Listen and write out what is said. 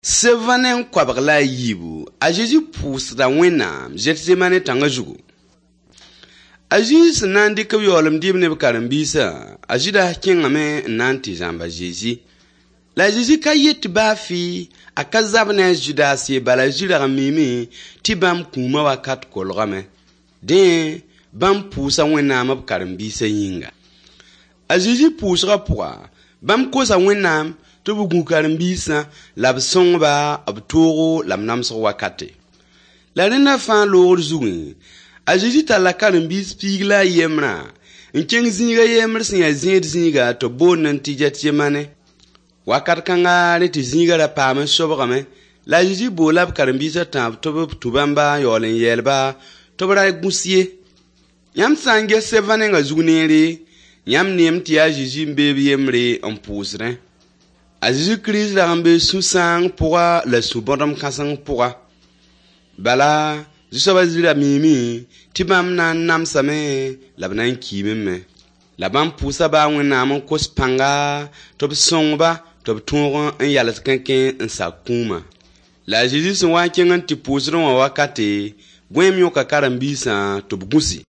74, a Zezi pʋʋsda Wẽnnaam Zetsemane tãngã zugu. A Zezi sẽn na n dɩk b yaoolem dɩɩb ne b karen-biisã, a Zɩdas kẽngame n na n tɩ zãmb a Zezi. La a Zezi ka yet tɩ baa fɩ a ka zab ne a Zʋdas ye, bala a Zezi rag n miime tɩ bãmb kũumã wakat kolgame. Dẽ, bãmb pʋʋsa Wẽnnaam b karen-biisã yĩnga. A Zezi pʋʋsgã pʋga, bãmb kosa Wẽnnaam tɩ b gũ karen-biisã la b sõng-ba b toogo la b namsg wakate. La rẽnda fãa loogr zugẽ, a Zezi talla karen-biis piig la a yembrã n kẽng zĩig a yembr sẽn yaa zẽed zĩiga tɩ b boondẽ tɩ Getsemane. Wakat kãnga rẽ tɩ zĩigã ra paam n sobgame, la a Zezi boola b karen-biisã tãab tɩ b tũ bãmba n yaool n yɛɛl-ba tɩ b ra gũs ye. Yãmb sã n ges sevã nengã zug neere, yãmb neem tɩ yaa Zezi n bee b yembre n pʋʋsdẽ. A Zezi Kirist rag n bee sũ-sãang pʋga la sũ-bõdem kãseng pʋga. Bala, Zu-soabã Zezi ra miime tɩ bãmb na n namsame la b na n kiime me. La bãmb pʋʋsa baa Wẽnnaam n kos pãnga tɩ b sõng-ba tɩ b tõog n yals kẽnkẽ n sak kũumã. La a Zezi sẽn wa n kẽng n tɩ pʋʋsdẽ wã wakate, gõeem yõka karen-biisã tɩ b gũsi.